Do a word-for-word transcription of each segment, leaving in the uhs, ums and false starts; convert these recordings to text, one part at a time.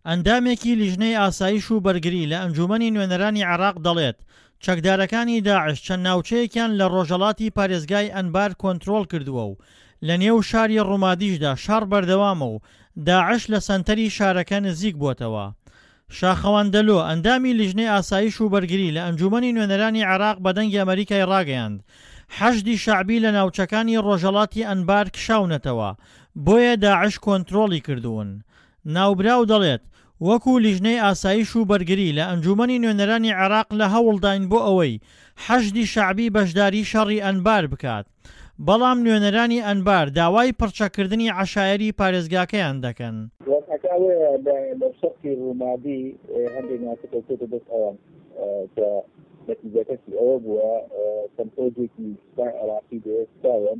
ئەندامێکی لیژنەی ئاسایش و بەرگری لە ئەنجوومەنی نوێنەرانی عێراق دەڵێت، چەکدارەکانی داعش چەند ناوچەیەکیان لە رۆژهەڵاتی پارێزگای ئەنبار کۆنترۆڵکردووە و لەنێو شاری رومادیشدا شەڕ بەردەوامە و داعش لە سەنتەری شارەکە نزیکبووەتەوە. شاخەوان دەلۆ، ئەندامی لیژنەی ئاسایش و بەرگری لە ئەنجوومەنی نوێنەرانی عێراق بە دەنگی ئەمەریکای ڕاگەیاند، حەشدی شەعبی لە ناوچەکانی ڕۆژهەڵاتی ئەنبار کشاونەتەوە، بۆیە داعش کۆنترۆڵی کردوون. ناوبراو دەڵێت، وەکو لیژنەی ئاسایش و بەرگری لە ئەنجوومەنی نوێنەرانی عێراق لە هەوڵداین بۆ ئەوەی حەشدی شەعبی بەشداری شەڕی ئەنبار بکات، بەڵام نوێنەرانی ئەنبار داوای پڕچەککردنی عەشایەری پارێزگاکەیان دەکەن. وەزعەکە ئەوەیە لە لە شەرقی ڕومادی هەندێک ناوچە کەوتۆتە دەست ئەوان کە نەتیجەکەشی ئەوە بووە چەند فەوجێکی سوپای عێراقی بێ سوپایان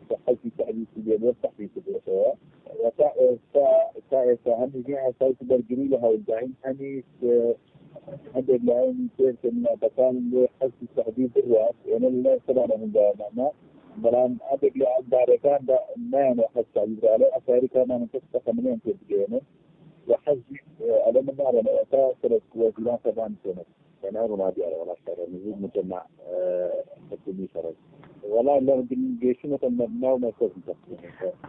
کە حەشدی شەعبیشی لێ بووە سەحبی کردووەتەوە و تا ئێستا تا ئێستا هەم لیژنەی ئاسایش و بەرگری لە هەوڵداین هەمیش هەندێک لایەنی تر کە منافەکانن بۆ حەشدی شەعبی بڕوات ئێمە لە لای خۆمانە هەنگاومانە بەڵام هەندێک لە ئەنبارەکان نایانەوە حەشد شەعبی بڕوا لەو عەشایەری کارمانن کەس تەقەمەنیان پێ بگەیەنن و حەشدیش ئەڵێ من ناڕۆمەوە تا سەرۆک وەزیران سەردانی پێ نەکەن. لەناو ڕومادیارە وەڵا شەڕە نزیک مجەمع حکومی شەڕە وەڵا لە گەیشتنەتە ناو مەرکەزی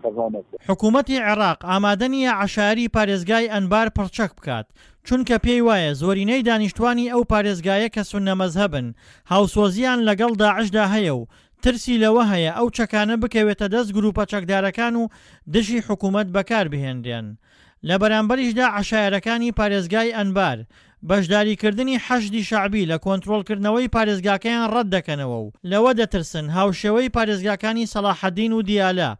قەزا مەرکەز. حکومەتی عێراق ئامادە نییە عەشایەری پارێزگای ئەنبار پڕچەک بکات، چونکە پێی وایە زۆرینەی دانیشتوانی ئەو پارێزگایە کە سوننە مەزهەبن، هاوسۆزییان لەگەڵ داعشدا هەیە و ترسی لەوە هەیە ئەو چەکانە بکەوێتە دەست گروپە چەکدارەکان و دژی حکومەت بەکاربهێنرێن. لە بەرامبەریشدا عەشایەرەکانی پارێزگای ئەنبار، بەشداریکردنی حەشدی شەعبی لە کۆنترۆڵکردنەوەی پارێزگاکەیان ڕەتدەکەنەوە و لەوە دەترسن هاوشێوەی پارێزگاکانی سەڵاحەدین و دیالە،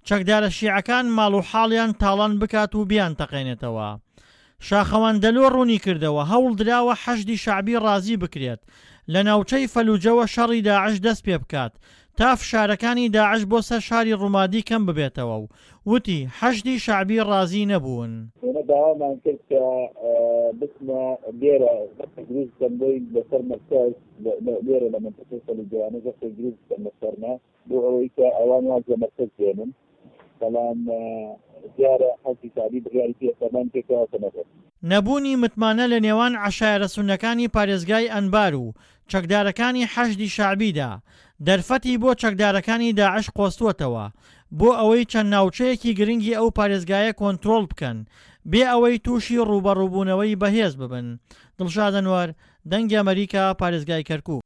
چەکدارە شیعەکان ماڵ و حاڵیان تاڵان بکات و بیانتەقێنێتەوە. شاخەوان دەلۆ ڕوونیکردەوە، هەوڵدراوە حەشدی شەعبی ڕازی بکرێت لە ناوچەی فەلوجەوە شەڕی داعش دەستپێبکات تا فشارەکانی داعش بۆ سەر شاری ڕومادی کەم ببێتەوە و وتی، حەشدی شەعبی ڕازی نەبوون. ئێمە داوامان کرد کە بچنە لێرە زەختێک دروست بکەن بۆی لەسەر مەرکەز لێرە لە مەنتیقەی فەلوجەوانە زەختێک دروست بکەن لەسەرنا بۆ ئەوەی کە ئەوان واز لە مەرکەز بێنن بەڵام دیارە حەشدی شەعبی بڕیاری پێ فەرمانی پێ کراوە کە نەڕۆن. نەبوونی متمانە لە نێوان عەشایەرە سوننەکانی پارێزگای ئەنبار و چەکدارەکانی حەشدی شەعبیدا، دەرفەتی بۆ چەکدارەکانی داعش قۆستووەتەوە بۆ ئەوەی چەند ناوچەیەکی گرنگی ئەو پارێزگایە کۆنترۆڵ بکەن، بێ ئەوەی تووشی ڕووبەڕووبوونەوەی بەهێز ببن. دڵشاد ئەنوەر، دەنگی ئەمەریکا، پارێزگای کەرکوک.